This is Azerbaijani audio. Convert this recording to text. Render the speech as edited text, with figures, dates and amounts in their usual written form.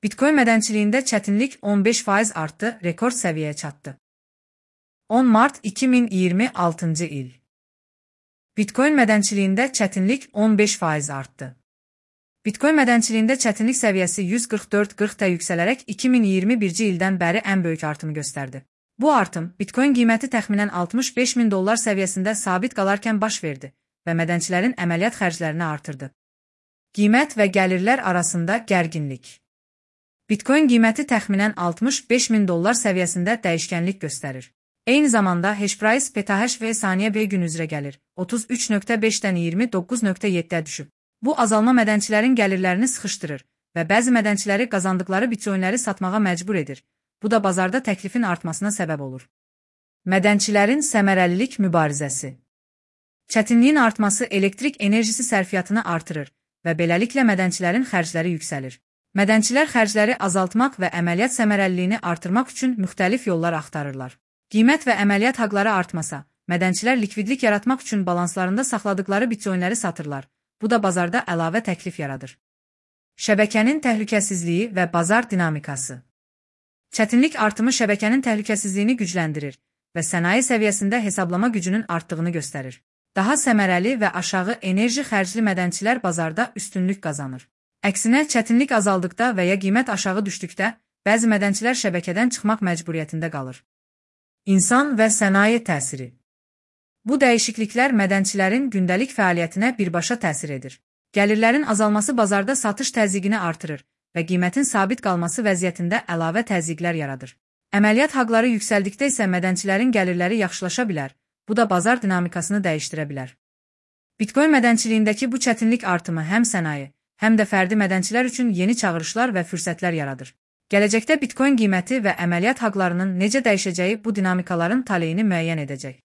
Bitcoin mədənçiliyində çətinlik 15% artdı, rekord səviyyəyə çatdı. 10 mart 2026 il. Bitcoin mədənçiliyində çətinlik 15% artdı. Bitcoin mədənçiliyində çətinlik səviyyəsi 144.40-da yüksələrək 2021-ci ildən bəri ən böyük artımı göstərdi. Bu artım, Bitcoin qiyməti təxminən $65.000 səviyyəsində sabit qalarkən baş verdi və mədənçilərin əməliyyat xərclərini artırdı. Qiymət və gəlirlər arasında gərginlik. Bitcoin qiyməti təxminən $65.000 səviyyəsində dəyişkənlik göstərir. Eyni zamanda hash price PTHV saniyə bir gün üzrə gəlir, 33.5-dən 29.7-ə düşüb. Bu azalma mədənçilərin gəlirlərini sıxışdırır və bəzi mədənçiləri qazandıqları bitcoinləri satmağa məcbur edir. Bu da bazarda təklifin artmasına səbəb olur. Mədənçilərin səmərəlilik mübarizəsi. Çətinliyin artması elektrik enerjisi sərfiyyatını artırır və beləliklə mədənçilərin xərcləri yüksəlir. Mədənçilər xərcləri azaltmaq və əməliyyat səmərəliliyini artırmaq üçün müxtəlif yollar axtarırlar. Qiymət və əməliyyat haqları artmasa, mədənçilər likvidlik yaratmaq üçün balanslarında saxladıqları bitcoinləri satırlar. Bu da bazarda əlavə təklif yaradır. Şəbəkənin təhlükəsizliyi və bazar dinamikası. Çətinlik artımı şəbəkənin təhlükəsizliyini gücləndirir və sənaye səviyyəsində hesablama gücünün artdığını göstərir. Daha səmərəli və aşağı enerji xərcli mədənçilər bazarda üstünlük qazanır. Əksinə, çətinlik azaldıqda və ya qiymət aşağı düşdükdə, bəzi mədənçilər şəbəkədən çıxmaq məcburiyyətində qalır. İnsan və sənaye təsiri. Bu dəyişikliklər mədənçilərin gündəlik fəaliyyətinə birbaşa təsir edir. Gəlirlərin azalması bazarda satış təzyiqini artırır və qiymətin sabit qalması vəziyyətində əlavə təzyiqlər yaradır. Əməliyyat haqları yüksəldikdə isə mədənçilərin gəlirləri yaxşılaşa bilər, bu da bazar dinamikasını dəyişdirə bilər. Bitcoin mədənçiliyindəki bu çətinlik artımı həm sənaye, həm də fərdi mədənçilər üçün yeni çağırışlar və fürsətlər yaradır. Gələcəkdə Bitcoin qiyməti və əməliyyat haqlarının necə dəyişəcəyi bu dinamikaların taleyini müəyyən edəcək.